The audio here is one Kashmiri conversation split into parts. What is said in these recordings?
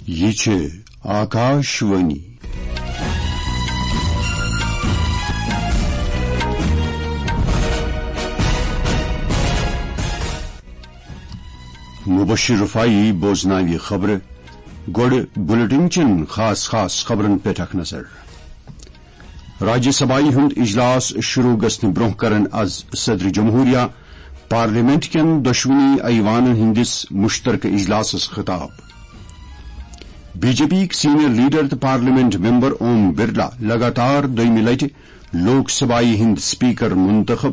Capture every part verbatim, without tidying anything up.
یہِ چھِ آکاش وانی۔ مبشر رفاعی بوزناوِ خبرٕ۔ گۄڈٕ بلیٹن چٮ۪ن خاص خاص خبرن پٮ۪ٹھ اکھ نظر۔ راجیہ سبھایہ ہُنٛد اجلاس شروع گژھنہٕ برٛونٛہہ کرن از صدر جمہوریہ پارلیمنٹ کٮ۪ن دۄشوٕنی ایوانن ہٕنٛدِس مشترکہٕ اجلاسس خطاب۔ بی جے پی یِک سینئر لیڈر تہٕ پارلیمنٹ ممبر اوم برلا لگاتار دوٚیمہِ لٹہِ لوک سبھایہ ہٕنٛدۍ سپیکر منتخب۔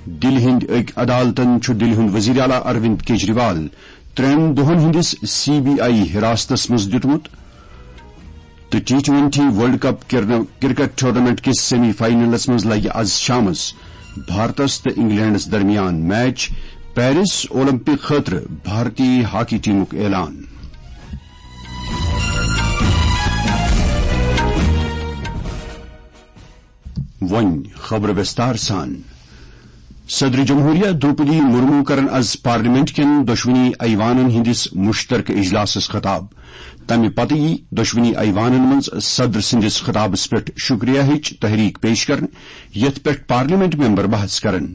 دِلہِ ہٕنٛدۍ أکۍ عدالتن چھُ دِلہِ ہُنٛد وزیر اعلیٰ اروند کیجریوال ترٛٮ۪ن دۄہن ہٕنٛدِس سی بی آئی حراستس منٛز دیُتمُت۔ تہٕ ٹی ٹوئنٹی ورلڈ کپ کرن-، کرکٹ ٹورنامنٹ کِس سیمی فائنلس منٛز لگہِ از شامس بھارتس تہٕ انگلینڈس درمیان میچ۔ پیرس اولمپک خٲطرٕ بھارتی ہاکی ٹیمُک اعلان۔ وۄنۍ خبرٕ وِستار سان۔ صدر جمہوریہ دروپدی مرمو کرن از پارلیمنٹ کٮ۪ن دۄشوٕنی ایوانن ہٕنٛدِس مشترکہٕ اجلاسس خطاب۔ تمہِ پتہٕ یی دۄشوٕنی ایوانن منٛز صدر سٕنٛدِس خطابس پٮ۪ٹھ شکریہ ہٕچ تحریک پیش کرنہٕ، یتھ پٮ۪ٹھ پارلیمنٹ ممبر بحث کرن۔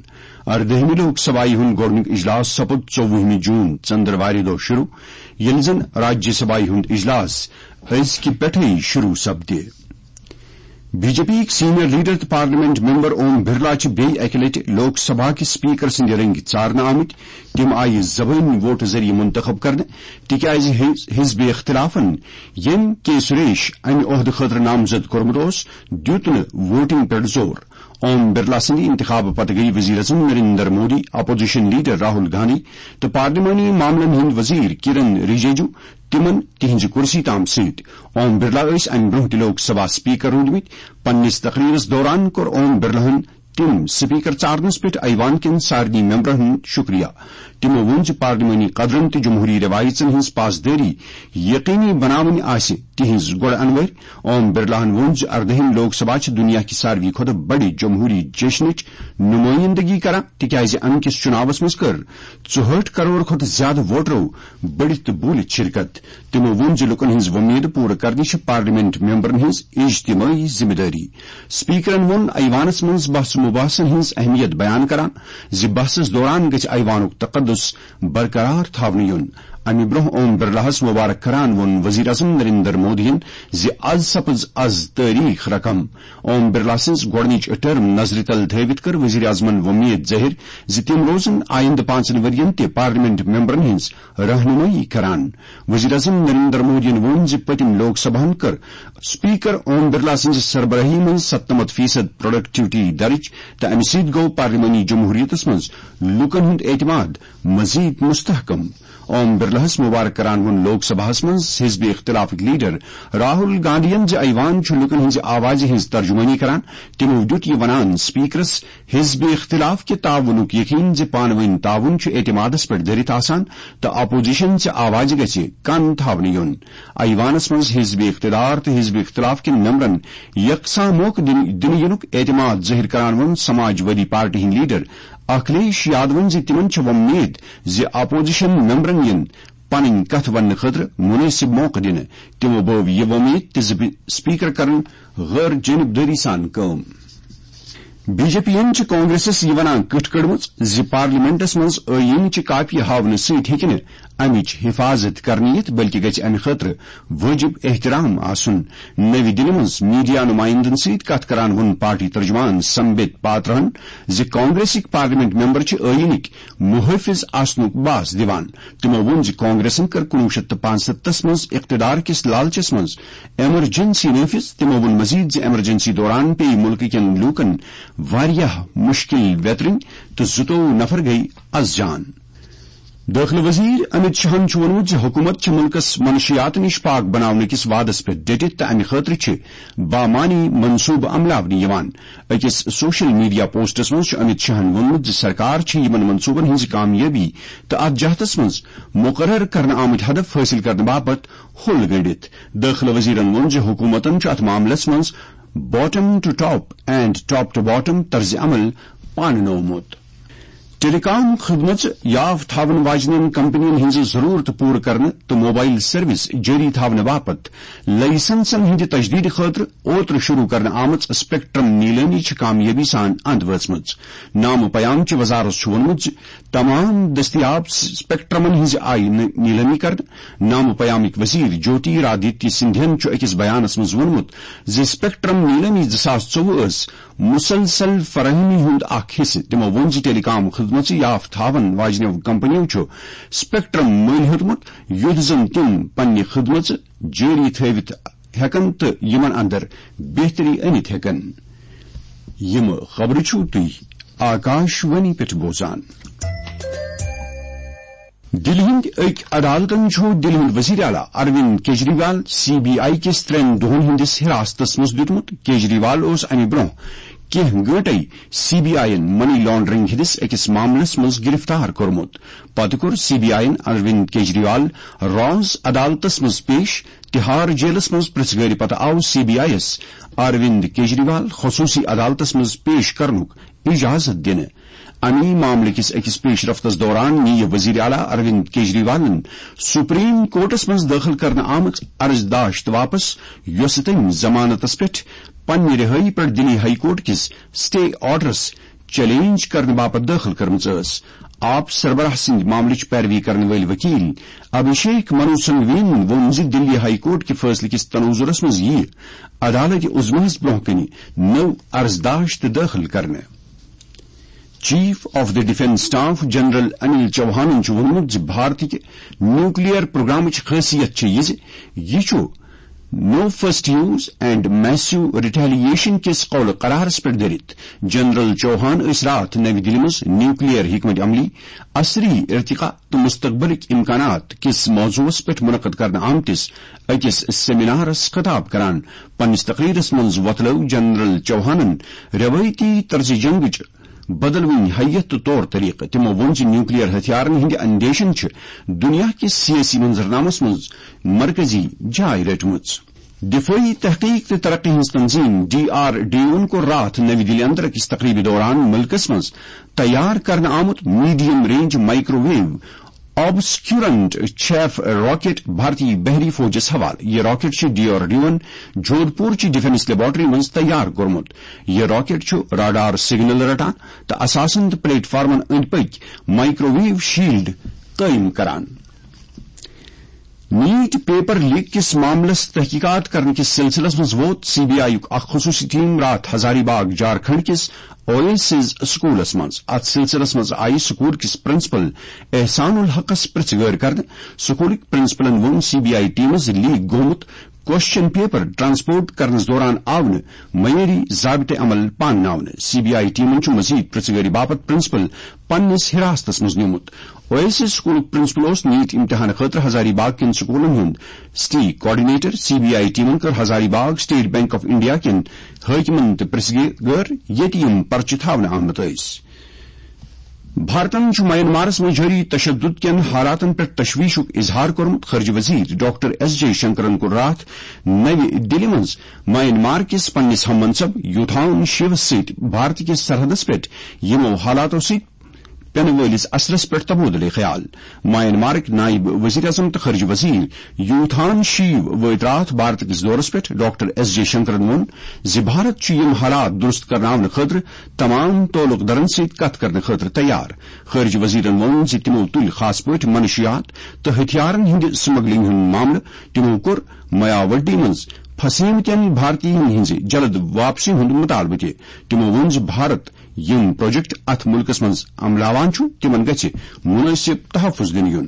اردٲہمہِ لوک سبھایہ ہُنٛد گۄڈٕنیُک اجلاس سپُد ژوٚوُہمہِ جون، ژندروارِ دۄہ شروع، ییٚلہِ زن راجیہ سبھایہ ہُنٛد اجلاس أزکہِ پٮ۪ٹھٕے شروع سپدِ۔ بی جے پی یِک سینئر لیڈر تہٕ پارلیمنٹ ممبر اوم برلا چھِ بیٚیہِ اکہِ لٹہِ لوک سبھا کِس سپیکر سٕنٛدِ رٔنگۍ ژارنہٕ آمٕتۍ۔ تِم آیہِ زبٲنۍ ووٹہٕ ذٔریعہٕ منتخب کرنہٕ، تِکیازِ حز-، حزب اختلافن، ییٚمۍ کے سریش امہِ عہدٕ خٲطرٕ نامزد کوٚرمُت اوس، دیُت نہٕ ووٹنگ پٮ۪ٹھ زور۔ اوم برلا سٕنٛدِ انتخابہٕ پتہٕ گٔیہِ وزیر اعظم نریندر مودی، اپوزیشن لیڈر راہل گاندھی تہٕ پارلیمانی معاملن ہٕنٛدۍ وزیر کرن رجیجو تِمن تِہنٛزِ کُرسی تام سۭتۍ۔ اوم برلا ٲسۍ امہِ برٛونٛہہ تہِ لوک سبھا سپیکر روٗدمٕتۍ۔ پننِس تقریرس دوران کوٚر اوم برلاہن تِم سپیکر ژارنس پٮ۪ٹھ ایوان کٮ۪ن سارنٕے ممبرن ہُنٛد شکریہ۔ تِمو ووٚن زِ پارلیمانی قدرن تہٕ جمہوری رٮ۪وایژن ہٕنٛز پاسدٲری یقینی بناوٕنۍ آسہِ تِہنٛز گۄڈٕ انوٲرۍ۔ اوم برلاہن ووٚن زِ اردٲہِم لوک سبھا چھِ دُنیا کہِ ساروی کھۄتہٕ بڑِ جمہوری جشنٕچ نُمٲیندگی کران، تِکیازِ امہِ کِس چُناوس منٛز کٔر ژُہٲٹھ کرور کھۄتہٕ زیادٕ ووٹرو بٔڑِتھ تہٕ بوٗلِتھ شرکت۔ تِمو ووٚن زِ لوٗکن ہٕنٛز وۄمید پوٗرٕ کرنٕچ چھِ پارلیمنٹ ممبرن ہٕنٛز اجتمٲعی ذمہٕ دٲری۔ سپیکرن ووٚن ایوانس منٛز بحث مباحثن ہٕنٛز اہمیت بیان کران زِ بحثس دوران گژھِ ایوانُک تقدس برقرار تھاونہٕ یُن۔ امہِ برٛونٛہہ اوم برلاہس مبارک کران ووٚن وزیر اعظم نریندر مودیَن زِ از سپٕز از تٲریخ رقم۔ اوم برلا سٕنٛز گۄڈٕنِچ ٹرم نظرِ تل تھٲوِتھ کٔر وزیر اعظمن وۄمید ظٲہِر زِ تِم روزن آیندٕ پانٛژن ؤرین تہِ پارلیمنٹ ممبرن ہٕنٛز رہنمٲیی کران۔ وزیر اعظم نریندر مودیَن ووٚن زِ پٔتِم لوک سبھاہن کٔر سپیکر اوم برلا سٕنٛزِ سربراہی منٛز ستنمتھ فیصد پروڈکٹیوٹی درج تہٕ امہِ سۭتۍ گوٚو پارلیمانی جمہوریتس منٛز لوٗکن ہُنٛد اعتماد مزید مستحکم۔ اوم برلاہس مبارک کران ووٚن لوک سبھاہس منٛز حزب اختلافٕکۍ لیڈر راہل گاندھین زِ ایوان چھُ لوٗکن ہٕنٛزِ آوازِ ہٕنٛز ترجمٲنی کران۔ تِمو دیُت یہِ ونان سپیکرس حزب اختلاف کہِ تعاونُک یقین زِ پانہٕ ؤنۍ تعاون چھُ اعتمادس پٮ۪ٹھ دٔرِتھ آسان تہٕ اپوزیشن چہِ آوازِ گژھِ کن تھاونہٕ یُن۔ ایوانس منٛز حزب اقتدار تہٕ حزب اختلاف کٮ۪ن ممبرن یکساں موقعہٕ دِنہٕ، دِنہٕ یِنُک اعتماد ظٲہِر کران ووٚن سماج وادی پارٹی ہٕنٛدۍ لیڈر اکھلیش یادون زِ تِمن چھِ وۄمید زِ اپوزیشن ممبرن یِن پنٕنۍ کتھ وننہٕ خٲطرٕ مُنٲسِب موقعہٕ دِنہٕ۔ تِمو بٲو یہِ وۄمید تہِ زِ بِ-، سپیکر کرن غٲر جٲنبدٲری سان کٲم۔ بی جے پی یَن چھِ کانگریسس یہِ ونان کٕٹھ کٔڑمٕژ زِ پارلیمنٹس منٛز ٲییٖنٕچہِ کاپیہِ ہاونہٕ سۭتۍ ہیٚکہِ نہٕ امِچ حفاظت کرنہٕ یِتھ، بلکہِ گژھِ امہِ خٲطرٕ وٲجِب احترام آسُن۔ نٔوِ دِلہِ منٛز میڈیا نُمایندن سۭتۍ کتھ کران ووٚن پارٹی ترجمان سمبت پاترہن زِ کانگریسٕکۍ پارلیمنٹ ممبر چھِ ٲییٖنٕکۍ محٲفظ آسنُک باس دِوان۔ تِمو ووٚن زِ کانگریسن کٔر کُنوُہ شیٚتھ تہٕ پانٛژستتھس منٛز اقتدار کِس لالچس منٛز ایمرجنسی نٲفذ۔ تِمو ووٚن مزید زِ ایمرجنسی دوران پیٚیہِ مُلکہٕ کٮ۪ن لوٗکن واریاہ مُشکِل ویترٕنۍ تہٕ زٕتووُہ نفر گٔیہِ از جان۔ دٲخلہٕ وزیر امت شاہن چھُ ووٚنمُت زِ حکوٗمت چھِ مُلکَس منشیات نِش پاک بناونہٕ کِس وعدس پٮ۪ٹھ ڈٔٹِتھ تہٕ امہِ خٲطرٕ چھِ بامعنی منصوبہٕ عملاونہٕ یِوان۔ أکِس سوشل میڈیا پوسٹس منٛز چھُ امت شاہن ووٚنمُت زِ سرکار چھِ یِمن منصوبن ہٕنٛزِ کامیٲبی تہٕ اتھ جہتس منٛز مقرر کرنہٕ آمٕتۍ ہدف حٲصِل کرنہٕ باپتھ ہوٚل گٔنٛڈِتھ۔ دٲخلہٕ وزیرن ووٚن زِ حکوٗمتن چھُ اتھ معاملس منٛز bottom to top and top to bottom طرزِ عمل پاننومُت۔ ٹیلی کام خدمژ یاف تھاون واجنین کمپنین ہنز ضرورت پورٕ کرنہٕ تہٕ موبائل سروس جٲری تھاونہٕ باپتھ لائسنسن ہٕنٛدِ تجدیدٕ خٲطرٕ اوترٕ شروع کرنہٕ آمٕژ سپیکٹرم نیلٲمی چھِ کامیٲبی سان اند وٲژمٕژ۔ نامہٕ پیام چہِ وزارت چھُ ووٚنمُت زِ تمام دٔستیاب سپیکٹرمن ہٕنٛزِ آیہِ نہٕ نیلٲمی کرنہٕ۔ نامہٕ پیامٕکۍ وزیر جوتی رادتیہ سندھین چھُ أکِس بیانس منٛز ووٚنمُت زِ سپیکٹرم نیلٲمی زٕ ساس ژوٚوُہ ٲس مسلسل فراہمی ہُنٛد اکھ حصہٕ۔ تِمو ووٚن زِ ٹیلی کام خدمژٕ یاف تھاون واجنیو کمپنیو چھُ سپیکٹرم مٔلۍ ہیوٚتمُت، یُتھ زن تِم پننہِ خدمژٕ جٲری تھٲوِتھ ہٮ۪کن تہٕ یِمن اندر بہتری أنِتھ ہٮ۪کن۔ یِم خبرٕ چھِو تُہۍ آکاش وانی پٮ۪ٹھ بوزان۔ دِلہِ ہٕنٛدۍ أکۍ عدالتن چھُ دِلہِ ہُنٛد وزیر اعلیٰ Arvind Kejriwal C B I کِس ترٛٮ۪ن دۄہن ہٕنٛدِس حراستس منٛز دیُتمُت۔ کیجریوال اوس امہِ برٛونٛہہ کینٛہہ گٲنٛٹے سی بی آئی یَن منی لانڈرنگ ہٕنٛدِس أکِس معاملس منٛز گرفتار کوٚرمُت۔ پتہٕ کوٚر سی بی آئی یَن اروند کیجریوال راز عدالتس منٛز پیش۔ تہار جیلس منٛز پرٛژھ گٲرِ پتہٕ آو سی بی آئی یَس اروند کیجریوال خصوصی عدالتس منٛز پیش کرنُک اجازت دِنہٕ۔ اَمی معاملہٕ کِس أکِس پیش رفتس دوران نِیہِ وزیر اعلیٰ اروند کیجریوالن سپریم کورٹس منٛز دٲخل کرنہٕ آمٕژ عرض داشت واپس، یۄسہٕ تٔمۍ ضمانتس پٮ۪ٹھ پننہِ رِہٲیی پٮ۪ٹھ دِلی ہائی کورٹ کِس سٹے آرڈرس چیلنج کرنہٕ باپتھ دٲخل کٔرمٕژ ٲس۔ آپ سربراہ سٕنٛدِ معاملٕچ پیروی کرن وٲلۍ وکیل ابھیشیک منو سنگھوین ووٚن زِ دِلی ہائی کورٹ کہِ فٲصلہٕ کِس تناظرس منٛز یِیہِ عدالت عظمیٰ ہَس برٛونٛہہ کنہِ نٔو عرض داشت دٲخل کرنہٕ۔ Chief of the defence staff general Anil چوہانن چھُ ووٚنمُت زِ بھارتٕکہِ نیوکلیئر پروگرامٕچ خٲصیت چھِ یہِ زِ یہِ چھُ no first use and massive retaliation کِس قول قرارس پٮ۪ٹھ دٔرِتھ۔ جنرل چوہان ٲسۍ راتھ نَوِ دِلہِ منٛز نیوکلیئر حکمت عملی، عصری ارتقا تہٕ مستقبلٕکۍ امکانات کِس موضوعس پٮ۪ٹھ منعقد کرنہٕ آمتِس أکِس سیمینارس خطاب کران۔ پننِس تقریرس منٛز وۄتلٲو جنرل چوہانن روایتی طرز جنگٕچ بدلوٕنۍ ہیئت تہٕ طور طریقہٕ۔ تِمو ووٚن زِ نیوکلیئر ہتھیارن ہٕنٛدِ اندیشن چھِ دُنیا کِس سیٲسی منظرنامس منٛز مرکزی جاے رٔٹمٕژ۔ دفٲعی تحقیق تہٕ ترقی ہٕنٛز تنظیم ڈی آر ڈی اوَن کوٚر راتھ نَوِ دِلہِ اندر أکِس تقریبہِ دوران مُلکس منٛز تیار کرنہٕ آمُت medium range microwave obscurant chaff rocket بھارتی بحری فوجس حوالہٕ۔ یہِ راکٹ چھُ ڈی آر ڈی اوَن جودھپور چہِ ڈیفنس لیبارٹری منٛز تیار کوٚرمُت۔ یہِ راکٹ چھُ راڈار سگنل رٹان تہٕ اثاثن تہٕ پلیٹ فارمن أنٛدۍ پٔکۍ مائیکرو ویو شیلڈ قٲیِم کران۔ نیٹ پیپر لیک کِس معاملس تحقیقات کرنہٕ کِس سلسلس منٛز ووت سی بی آئی یُک اکھ خصوصی ٹیم راتھ ہزاری باغ جھارکھنڈ کِس اویسز سکولس منٛز۔ اتھ سلسلس منٛز آیہِ سکول کِس پرنسپل احسان الحقس پرژھ گٲر کرنہٕ۔ سکولٕکۍ پرنسپلن ووٚن سی بی آئی ٹیمس لیک گوٚمُت کوسچن پیپر ٹرانسپورٹ کرنس دوران آو نہٕ معیٲری ضابطہٕ عمل پانناونہٕ۔ سی بی آئی ٹیمن چھُ مزید پرژھ گٲری باپتھ پرنسپل پننِس حراستس منٛز نیومُت۔ اویسز سکولُک پرنسپل اوس نیٹ امتحان خٲطرٕ ہزاری باغ کٮ۪ن سکولن ہُنٛد city coordinator. C B I ٹیمن کٔر ہزاری باغ سٹیٹ بینک آف انڈیا کٮ۪ن حٲکمن تہِ پرژھ گٲر، ییٚتہِ یِم پرچہِ تھاونہٕ آمٕتۍ ٲسۍ۔ بھارتن چھُ میانمارس منٛز جٲری تشدد کٮ۪ن حالاتن پٮ۪ٹھ تشویشُک اظہار کوٚرمُت۔ خارجہ وزیر ڈاکٹر ایس جے شنکرن کوٚر راتھ نَوِ دِلہِ منٛز میانمار کِس پننِس ہم منصب یوتھان شیوس سۭتۍ بھارت کِس سرحدس پٮ۪ٹھ یِمو حالاتو سۭتۍ پینہٕ وٲلِس اثرس پٮ۪ٹھ تبادلہ خیال۔ میانمارٕکۍ نائب وزیر اعظم تہٕ خارجہ وزیر یوتھان شیو وٲتۍ راتھ بھارت کِس دورس پٮ۪ٹھ۔ ڈاکٹر ایس جے شنکرن ووٚن زِ بھارت چھُ یِم حالات درست کرناونہٕ خٲطرٕ تمام تعلق دارن سۭتۍ کتھ کرنہٕ خٲطرٕ تیار۔ خارجہ وزیرن ووٚن زِ تِمو تُلۍ خاص پٲٹھۍ منشیات تہٕ ہتھیارن ہٕنٛدِ سمگلنگ ہُنٛد معاملہٕ۔ تِمو کوٚر مایاوٹی منٛز پھسیمتٮ۪ن بھارتین ہٕنٛزِ جلد واپسی ہُنٛد مطالبہٕ تہِ۔ تِمو ووٚن زِ بھارت یِم پروجیکٹ اتھ مُلکس منٛز عملاوان چھُ، تِمن گژھِ مُنٲسِب تحفظ دِنہٕ یُن۔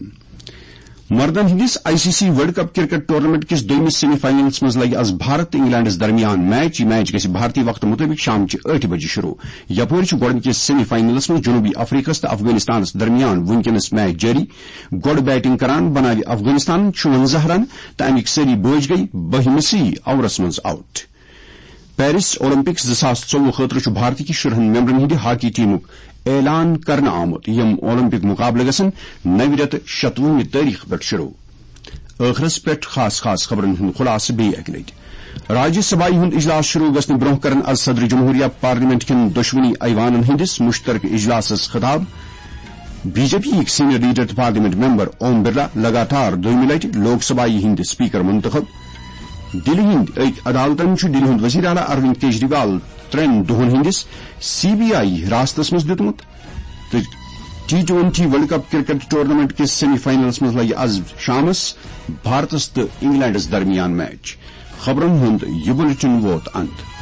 مردن ہٕنٛدِس I C C world cup cricket tournament کِس دوٚیمِس سیمی فائنلس منٛز لگہِ از بھارت تہٕ انگلینڈس درمیان میچ۔ یہِ میچ گژھِ بھارتی وقتہٕ مُطٲبِق شام چہِ ٲٹھِ بجہِ شروع۔ یپٲرۍ چھُ گۄڈٕنِکِس سیمی فائنلس منٛز جنوبی افریقس تہٕ افغانستانس درمیان وُنکیٚنس میچ جٲری۔ گۄڈٕ بیٹنگ کران بناوِ افغانستان شُونٛزاہ رن تہٕ امیِکۍ سٲری بٲجۍ گٔیہِ بٔہمِسٕے اوورس منٛز آؤٹ۔ پیرس اولمپکس زٕ ساس ژوٚوُہ خٲطرٕ چھُ بھارتٕکہِ شُرہن ممبرن ہٕنٛدِ ہاکی ٹیمُک اعلان کرنہٕ آمُت۔ یِم اولمپک مقابلہٕ گژھن نَوِ رٮ۪تہٕ شتوُہمہِ تٲریخ پٮ۪ٹھ شروع۔ ٲخرس پٮ۪ٹھ خاص خاص خبرن ہُنٛد خلاصہٕ بیٚیہِ اکہِ لٹہِ۔ راجیہ سبھایہِ ہُنٛد اجلاس شروع گژھنہٕ برٛونٛہہ کرن از صدر جمہوریہ پارلیمنٹ کٮ۪ن دۄشوٕنی ایوانن ہٕنٛدِس مشترکہٕ اجلاسس خطاب۔ بی جے پی یِکۍ سینئر لیڈر تہٕ پارلیمنٹ ممبر اوم برلا لگاتار دوٚیمہِ لٹہِ لوک سبھایہ ہٕنٛدۍ اسپیکر منتخب۔ دِلہِ ہٕنٛدۍ أکۍ عدالتن چھُ دِلہِ ہُنٛد وزیر اعلیٰ اروند کیجریوال ترٛٮ۪ن دۄہن ہٕنٛدِس سی بی آئی حراستس منٛز دیُتمُت۔ تہٕ T twenty world cup cricket tournament کِس سیمی فائنلس منٛز لگہِ از شامس بھارتس تہٕ انگلینڈس درمیان میچ۔ خبرن ہُنٛد یہِ بلیٹن ووت اند۔